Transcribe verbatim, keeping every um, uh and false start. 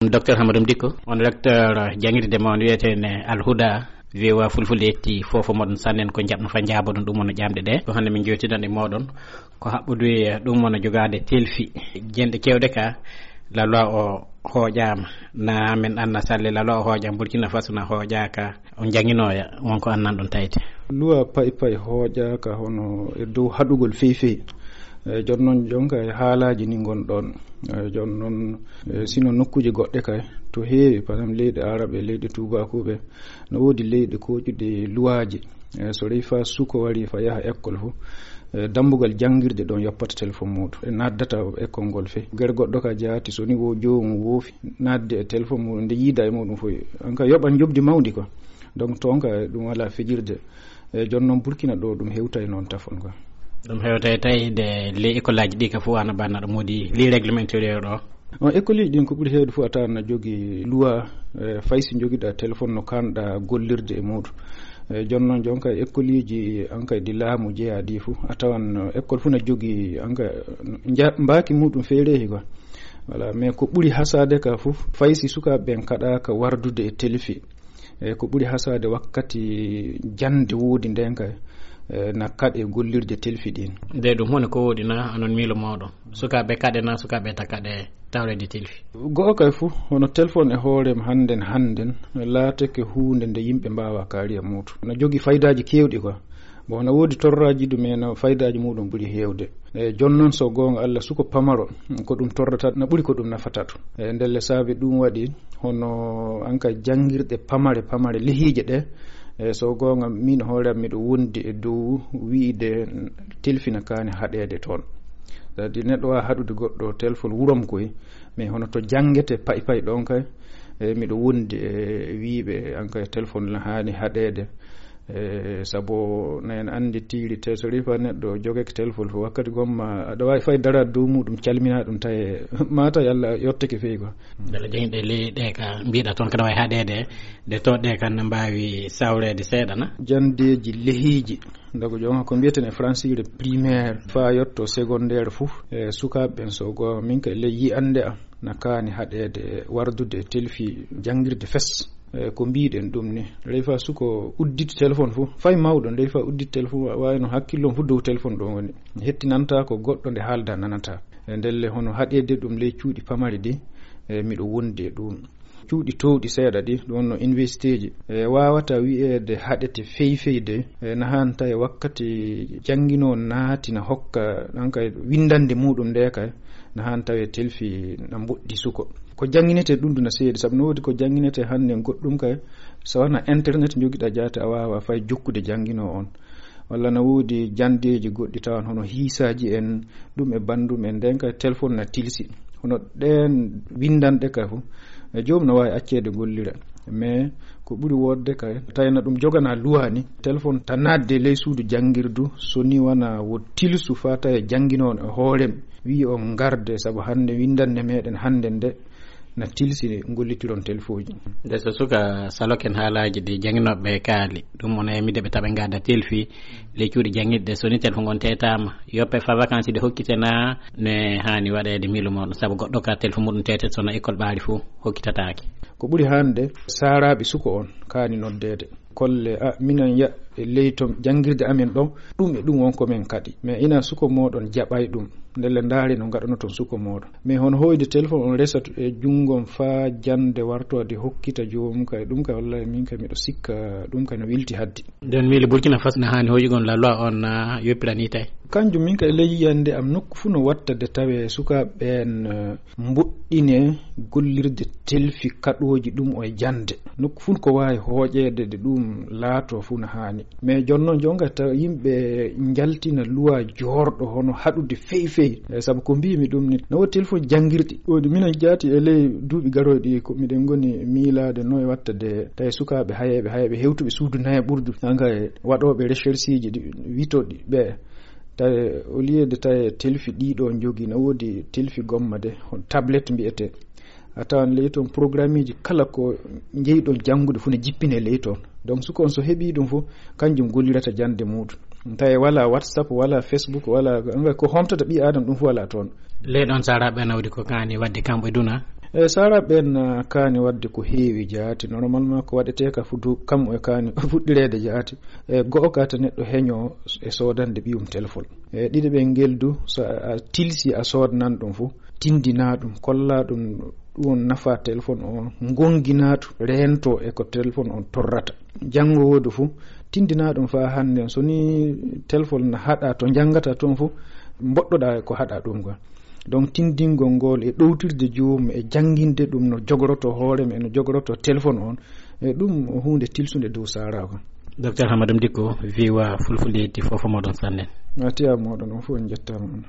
Docteur Hamadou Dikko, on recteur jangirde mon wiyetene Alhuda. V O A Fulfulde yetti fof moɗon sannen ko jaɓno fa jaabo ɗum, ɗum woni ƴamɗe ɗe. Ko hannde min jewtidan e moɗon ko haɓɓude ɗum woni jogaade telfi. Jenɗe kewɗe ka, la loi o hooƴaama. Na min anna salle la loi o hooƴaama, Burkina Faso na hooƴaaka. On jannginooya, won ko annan ɗon tawde. Loi pay pay hooƴaaka hono e dow haɗugol fey fey. E, jooni noon, jonka e haalaaji ni ngon ɗon. E, jooni noon, e, sino nokkuuje goɗɗe kay, to heewi, par exemple, leyɗe Arab e leyɗe Tuubaakuuɓe, no woodi leyɗe kooƴuɗe luwaaji. E, so rewi fa suko wari fa yaha école fu, e, dambugal janngirde ɗon yoppata téléphone muuɗum. E, naddata école ngol fey. Gere goɗɗo ka jaati, so ni wo joomum woofi, nadde e téléphone muuɗum, nde yiida e muuɗum fof. An ka yoɓan njoɓdi mawndi quoi. Donc, toon ka ɗum alaa fijirde. E, jooni noon Burkina ɗo ɗum hewtay noon tafon quoi. Ɗum hewtay tawi de les écoles aji ɗi ka fof ana banna ɗo moodi les règlements intérieurs ɗo. On école uji ɗin ko ɓuri heewde fof a tawan na jogi loi, e, fay si jogiɗa téléphone no kanɗa gollirde e muuɗum. E, jooni noon jonka école uji an kay ɗi laamu jeyaa ɗi fof a tawan, e, école fof na jogi an kay nja-, mbaaki muuɗum feereehi quoi. Voilà, mais ko ɓuri hasaade ka fof, fay si sukaaɓe ɓen kaɗaaka wardude e telfi. E, ko ɓuri hasaade wakkati jannde woodi nden kay, e, na kaɗe gollirde telfi ɗin. Nde ɗum hone ko woodi na anon miilo mooɗon? Sukaaɓe kaɗe na sukaaɓe ta kaɗe tawreede telfi? Go'o kay fof, hono téléphone e hoore mum hannden, hannden, laatake huunde nde yimɓe mbaawa kaari e muuɗum. Na jogi faydaaji keewɗi quoi. Bon, na woodi torraaji ɗum, mais na faydaaji muuɗum ɓuri heewde. E, jooni noon, so goonga Allah, suko pamaro, ko ɗum torrata, na ɓuri ko ɗum nafata ɗum. E, ndelle saabe ɗum waɗi, hono an ka janngirɗe pamare, pamare lehiije ɗe, e, so goonga, min hoore am, miɗo wondi e dow wiide telfi na kaani haɗeede toon. C'est-à-dire, neɗɗo waawa haɗude goɗɗo téléphone wurom koy, mais hono to janngete pay pay ɗon kay, e, miɗo wondi e wiiɓe an kay téléphone na haani haɗeede. E, sabu na en anndi tiiri te so rewi fa neɗɗo jogake téléphone fof, wakkati gomma aɗa waawi fay daraade dow muuɗum, calminaa ɗum, tawi mata yalla yottake fey quoi. Mbele jangɗe ley ɗe ka mbiɗa toon kana wawi haɗeede, ɗe to ɗe kan ne mbaawi sawreede seeɗa na? Janndeeji lehiiji, ndago jooma ko mbiyeten e francire primaire, fa yotto secondaire fof, e, sukaaɓe ɓen so go min ka ley yi'annde am, na kaani haɗeede wardude telfi janngirde fes. E, ko mbiɗen ɗum ni, rewi fa suko udditi téléphone fof, fay mawɗo, rewi fa udditi téléphone, wa-, wawi no hakkillon fof dow téléphone ɗon woni. Hettinanta ko goɗɗo nde haalda nanata. E, ndelle hono haɗeede ɗum ley cuuɗi pamari ɗi, e, miɗo wondi e ɗum. Cuuɗi towɗi seeɗa ɗi, ɗum wonno université ji, e, wawata wi'eede haɗete fey fey de, e, na han tawi wakkati janngino naati na hokka, ɗan kay winndannde muuɗum nde kay, na han tawi telfi na mboɗɗi suko. Ko jannginetee ɗum ɗum na seeɗi, sabu no woodi ko jannginetee hannde goɗɗum kay, so wona internet njogiɗa jaate a waawa fay jokkude janngino on. Walla na woodi janndeeji goɗɗi tawan hono hiisaaji en, ɗum e banndum en, nden kay téléphone na tilsi. Hono ɗeen winndanɗe kay fof, e joom no waawi acceede gollira. Mais ko ɓuri woodde kay, tawi na ɗum jogana luwaani, téléphone ta naatde ley suudu janngirdu, so ni wona wo tilsu fa tawi jannginoono e hoore mum, wi'i on ngarde, sabu hannde winndanɗe meɗen hannde nde na tilsi gollitiron telfooji. Nde so suka saloken haalaaji ɗi jannginooɓe kaali, ɗum wona e midde ɓe taɓa ngadda telfi, ley cuuɗi janngirɗe, so ni téléphone on teetaama, yoppe fa vacances ɗe hokkite na ne haani waɗeede miilu muɗum, sabu goɗɗo ka téléphone muɗum teete so na école ɓaari fof hokkitataake. Ko ɓuri hannde, saaraaɓe suko on kaani noddeede. Kolle, a, minen ya, e ley to janngirde amen ɗon, ɗum e ɗum won ko men kaɗi. Mais ina suko mooɗon jaɓay ɗum. Ndelle ndaare no ngaɗanoton suko mooɗon. Mais hono hoyde téléphone on resat e junngo faa jannde wartoode hokkita joomum kay, ɗum kay wallahi min kay miɗo sikka ɗum kay no wilti haddi. Nden miili Burkina Faso na haani hoyugol la loi on na yoppirani tawi. Kanjum min kay ley yiyande am nokku fuu no watta de tawe sukaaɓe ɓeen, eh, mboɗɗine gollirde telfi kaɗooji ɗum o e jannde. Nokku fuu ko waawi hooƴeede de ɗum laato fuu no haani. Mais jooni noon jonga tawa yimɓe njaltina luwa joorɗo hono haɗude fey fey. Eh, sabu ko mbiimi ɗum ni, no woodi téléphone janngirɗi. Woni minen jaati e ley duuɓi garooɗi ko miɗen ngoni miilaade no e watta de tawi sukaaɓe hayeeɓe, hayeeɓe hewtuɓe suudu nayaɓurdu. Hannga e waɗooɓe recherche ji ɗi witoɗi ɓe. Tawi au lieu de tawi telfi ɗiɗo jogi, no woodi telfi gomma de, hono tablette mbiyetee. A tawan ley toon programmeeji kala ko njeyɗon janngude fof ne jippine ley toon. Donc suko on so heɓii ɗum fof, kanjum gollirata jannde muuɗum. Tawi wala WhatsApp, wala Facebook, wala, ko homtata ɓii Aadama ɗum fof wala toon. Ley ɗon saaraaɓe nawdi ko kaani waɗde kamɓe duna, E sara ɓen, ah, kaani waɗde ko heewi jaati. Normalement ko waɗetee ka fudu kam e kaani fuɗɗireede jaati. E go'o ka ta neɗɗo heño e soodande ɓiyum téléphone. E ɗiɗo ɓen ngel du, so a tilsi a soodnan ɗum fu, tindina ɗum, kolla ɗum, ɗum won nafa téléphone on, ngongina ɗum, reento e ko téléphone on torrata. Janngo woodu fu, tindina ɗum faa hannde, so ni téléphone na haɗa to njanngata toon fu, mboɗɗoɗa e ko haɗa ɗum kon. Donc tindingol ngol e ɗowtirde joomum e jannginde ɗum no jogoroto hoore mum e no jogoroto téléphone on, e ɗum o huunde tilsunde dow sara kon. Docteur Hamadou Dicko, viwa fulfulde ti fofo moɗon sannen. A tiya moɗon on fof en njettaama on.